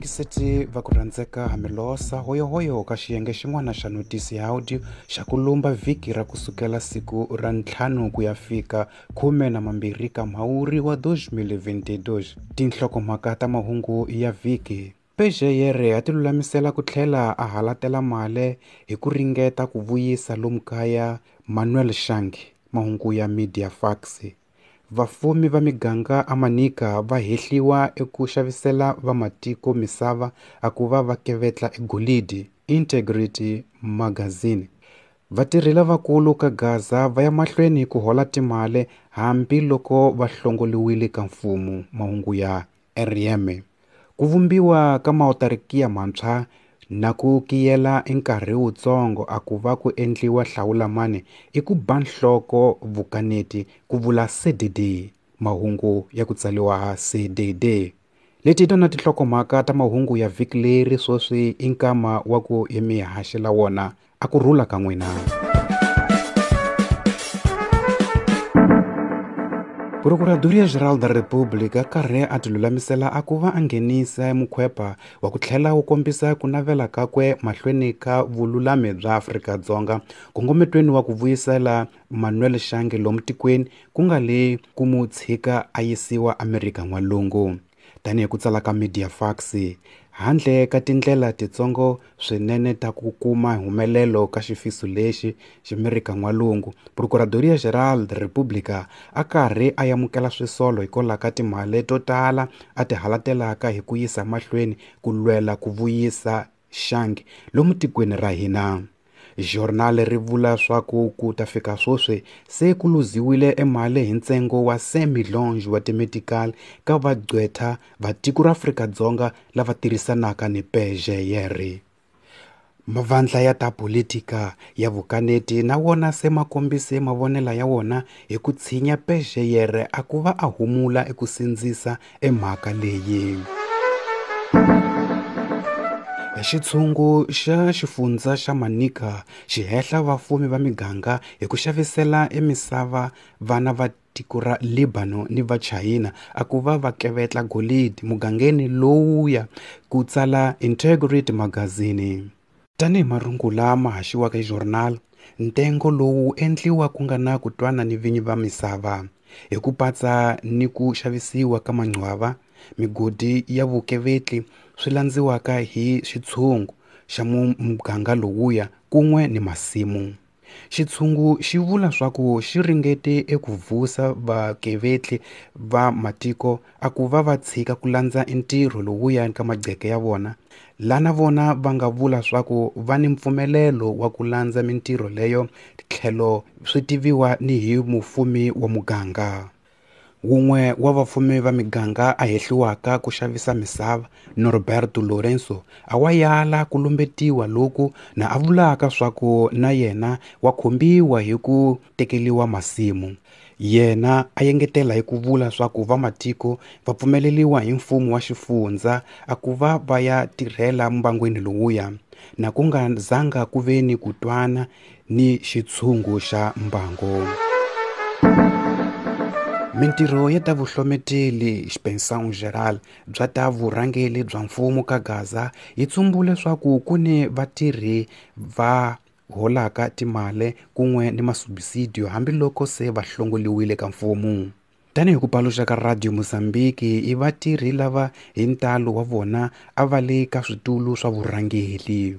Vayingiseti va ku rhandzeka hamilosa hoyohoyo ka xiyenge xin'wana xa notisi ya audio xa ku lumba vhiki ra kusukela siku ra ntlhanu ku ya fika 12 ka Mhawuri wa 2022. Tinhlokomhaka ta mahungu ya vhiki. PGR a ti lulamisela ku tlhela a halatela mali hi ku ringeta ku vuyisa lomu kaya Manuel Shange, mahungu ya Media Fax. Vafumi va miganga eManica va hehliwa eku xavisela vamatiko misava a ku va va kevetla egolidi, Integrity Magazine. Vatirhi lavakulu ka Gaza va ya mahlweni ku hola timali hambiloko va hlongoliwile ka mfumo, mahungu ya RM. Ku vumbiwa ka mautarikiya mantshwa na ku kiyela nkarhi wutsongo a ku va ku endliwa hlawulamani i ku ba nhloko vukaneti ku vula CDD, mahungu ya ku tsariwa CDD. Leti hi tona tinhlokomhaka ta mahungu ya vhiki leri sweswi i nkama wa ku hi mi haxela wona. A ku rhula ka n'wina. Procuradoria Geral da República karhi a tilulamisela a ku va a nghenisa mukhwepa wa ku tlhela wu kombisa ku navela kakwe mahlweni ka vululami bya Afrika-Dzonga nkongometweni wa ku vuyisela Manuel Shange lomu tikweni ku nga le ku mu tshika a yisiwa Amerika N'walungu. Tanihi ku tsala ka Media Fax, handle ka tindlela titsongo swinene ta ku kuma humelelo ka xifiso lexi Ximerika N'walungu, Procuradoria Geral da República a karhi a amukela swisolo hikwalaho ka timali to tala a ti halatelaka hi ku yisa mahlweni ku lwela ku vuyisa Shange lomu tikweni ra hina. Journal ri vula swa ku ku ta fika sweswi se ku luziwile emali hi ntsengo wa 5 millions wa timetical ka vagqwetha va tiko ra Afrika-Dzonga lava tirhisanaka ni PGR. Mavandla ya ta politika ya vukaneti na wona se ma kombise mavonelo ya wona hi ku tshinya PGR a ku va a humula eku sindzisa emhaka leyi. Xitshungu xa xifundza xa Manica xi hehla vafumi va miganga hi ku xavisela emisava vana va tiko ra Lebanon ni va China a ku va va kevetla golidi mugangeni lowuya, ku tsala Integrity Magazine. Tanihi marungula ma haxiwaka hi journal, ntengo lowu endliwa ku nga na ku twana ni vinyi va misava hi ku patsa ni ku xavisiwa ka manqwava, migodi ya vukevetli swi landziwaka hi xitshungu xa muganga lowuya kun'we ni masimu. Xitshungu xi vula swa ku xi ringete eku vusa vakevetli va matiko a ku va va tshika ku landza ntirho lowuya ka magqeke ya vona, lana vona va nga vula swa ku va ni mpfumelelo wa ku landza mintirho leyo tlhelo swi tiviwa ni hi mufumi wa muganga. Wun'we wa vafumi va miganga a hehliwaka ku xavisa misava, Norberto Lourenço, a wa yala ku lumbetiwa loku na a vulaka swa ku na yena wa khumbiwa hi ku tekeriwa masimu. Yena a engetela hi ku vula swa ku vamatiko va pfumeleriwa hi mfumo wa xifundza a ku va va ya tirhela mbangwini lowuya, na ku nga zanga ku ve ni ku twana ni xitshungu xa mbango. Mintirho ya ta vuhlometeli Expansão Geral bya ta vurhangeri bya mfumo ka Gaza yi tsumbule swa ku ku ni vatirhi va holaka timali kun'we ni masubsidio hambiloko se va hlongoliwile ka mfumo. Tanihi ku paluxa ka Radio Mozambique, i vatirhi lava hi ntalo wa vona a va le ka switulu swa vurhangeri.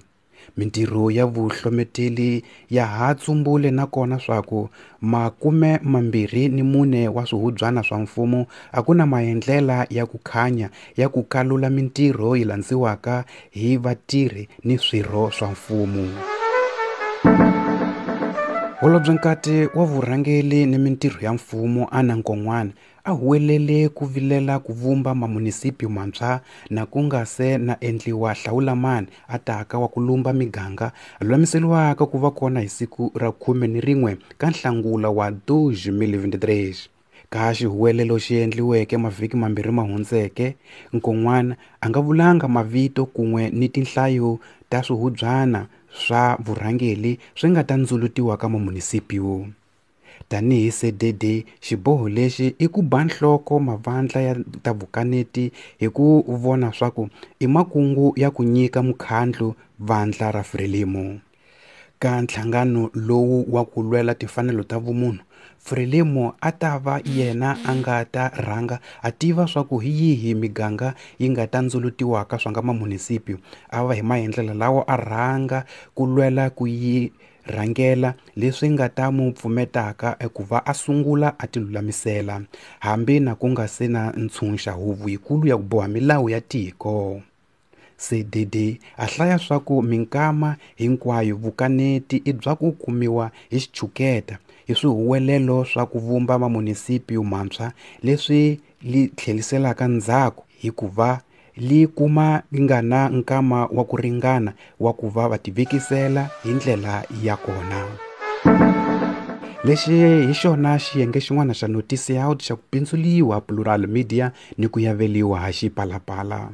Mintirho ya vuhlometeli ya ha tsumbule nakona swa ku 24 wa swihubyana swa mfumo a ku na maendlela ya ku khanya ya ku kalula mintirho yi landziwaka hi vatirhi ni swirho swa mfumo. Holobyenkati wa vurhangeri ni mintirho ya mfumo Anna Nkon'wana a huwelele ku vilela ku vumba mamunisipyu mantshwa na ku nga se na endliwa hlawulamani a taka wa ku lumba miganga lulamiseriwaka ku va kona hi siku ra 11 ka Nhlangula wa 2023. Ka xihuwelelo xi endliweke mavhiki mambirhi ma hundzeke, Nkon'wana a nga vulanga mavito kun'we ni tinhlayo ta swihubyana swa vurhangeri swi nga ta ndzulutiwa ka mamunisipyu. Tanihi CDD, xiboho lexi i ku ba nhloko mavandla ya ta vukaneti hi ku vona swaku i makungu ya ku nyika mukhandlu vandla ra Frelimo. Ka nhlangano lowu wa ku lwela timfanelo ta vumunhu, Frelimo a ta va yena a nga ta rhanga a tiva swaku hi yihi miganga yi nga ta ndzulutiwaka swa nga mamunisipyu, a va hi maendlelo lawa a rhanga ku lwela ku yi rhangela leswi nga ta mu pfumetaka eku va a sungula a tilulamisela, hambi na ku nga se na ntshunxa huvo yikulu ya ku boha milawu ya tiko. CDD a hlaya swaku minkama hinkwayo vukaneti i bya ku kumiwa hi xichuketa hi swihuwelelo swa ku vumba mamunisipyu mantshwa leswi li tlheliselaka ndzhaku hikuva li kuma li nga na nkama wa ku ringana wa ku va va tivekisela hi ndlela ya kona. Lexi hi xona xiyenge xin'wana xa Notice Out xa ku pindzuliwa Plural Media ni ku yaveliwa ha Xipalapala.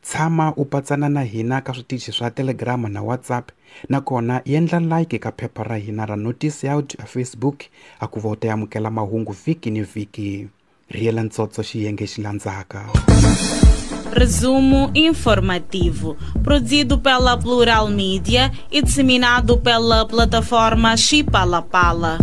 Tshama u patsana na hina ka switichi swa Telegram na WhatsApp, nakona endla like ka phepha ra hina ra Notice Out a Facebook a ku va u ta amukela mahungu vhiki ni vhiki. Rhiyela ntsotso xiyenge xi landzaka. Resumo informativo, produzido pela Plural Mídia e disseminado pela plataforma Xipalapala.